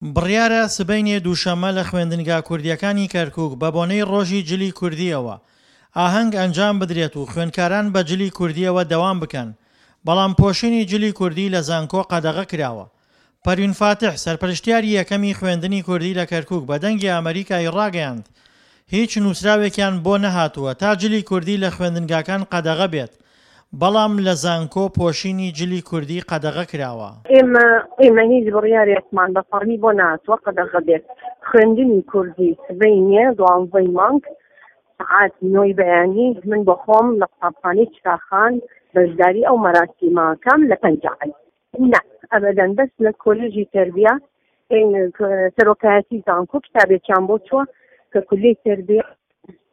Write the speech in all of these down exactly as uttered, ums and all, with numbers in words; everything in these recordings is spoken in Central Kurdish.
بڕیارە سبەینێ دووشەممە لە خوێندنگا کوردییەکانی کەرکوک بەبۆنەی ڕۆژی جلی کوردییەوە ئاهەنگ ئەنجام بدرێت و خوێندکاران بە جلی کوردییەوە دەوام بکەن، بەڵام پۆشینی جلی کوردی لە زانکۆ قەدەغە کراوە. پەروین فاتح، سەرپەرشتیاری یەکەمی خوێندنی کوردی لە کەرکوک بە دەنگی ئەمەریکای ڕاگەیاند، هیچ نووسراوێکیان بۆ نەهاتووە تا جلی کوردی لە خوێندنگاکان قەدەغە بێت، بەڵام لە زانکۆ پۆشینی جلی کوردی قەدەغە کراوە. ئێمە ئێمە هیچ بڕیارێکمان بە فەڕمی بۆ نەهاتووە قەدەغە بێت خوێندنی کوردی سبەینێ دوانزەی مانگ سەعات نۆی بەیانی من بۆ خۆم لە قوتابخانەی چراخان بەشداری ئەو مەراسیمەکەم لە پەنجاعەلی. نا ئەبەدەن بەس لە کۆلێژی تەربیە سەرۆکایەتی زانکۆ کتابێکیان بۆ چووە کە کولیەی تەربیە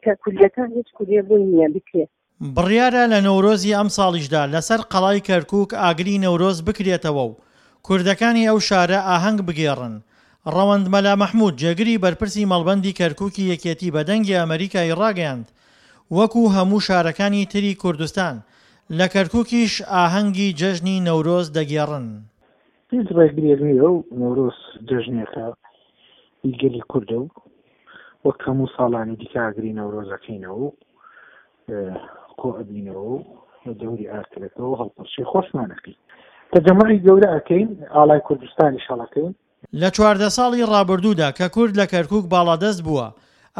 کە کولیەکان هیچ کولیە بۆی نییە بکرێت. بڕیارە لە نەورۆزی ئەمساڵیشدا لەسەر قەڵای کەرکووک ئاگری نەورۆز بکرێتەوە و کوردەکانی ئەو شارە ئاهەنگ بگێڕن. ڕەوەند مەلا مەحمود، جێگری بەرپرسی مەڵبەندی کەرکووکی یەکێتی بە دەنگی ئەمەریکای ڕاگەیاند، وەکو هەموو شارەکانی تری کوردستان، لە کەرکووکیش ئاهەنگی جەژنی نەورۆز دەگێڕن. هیچ ڕێگریەک نییە و نەورۆز جەژنێکە ئی گەلی کوردە و وەک هەموو ساڵانی دیکە ئاگری نەورۆز ئەکەینەوە و کۆ ئەبینەوە و لە دەوری ئاگرەکەوە هەڵپەڕکێ خۆشمان ئەکەین. تەجەموعی گەورە ئەکەین، ئاڵای کوردستانیش هەڵەکەین. لە چواردە ساڵی ڕابردوودا کە کورد لە کەرکوک باڵادەست بووە،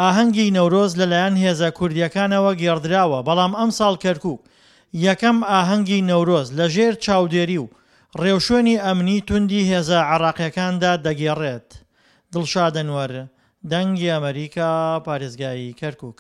ئاهەنگی نەورۆز لەلایەن هێزە کوردییەکانەوە گێڕدراوە، بەڵام ئەمساڵ کەرکوک یەکەم ئاهەنگی نەورۆز لەژێر چاودێری و ڕێوشوێنی ئەمنی توندی هێزە عێراقییەکاندا دەگێڕێت. دڵشاد ئەنوەر، دەنگی ئەمەریکا، پارێزگای کەرکوک.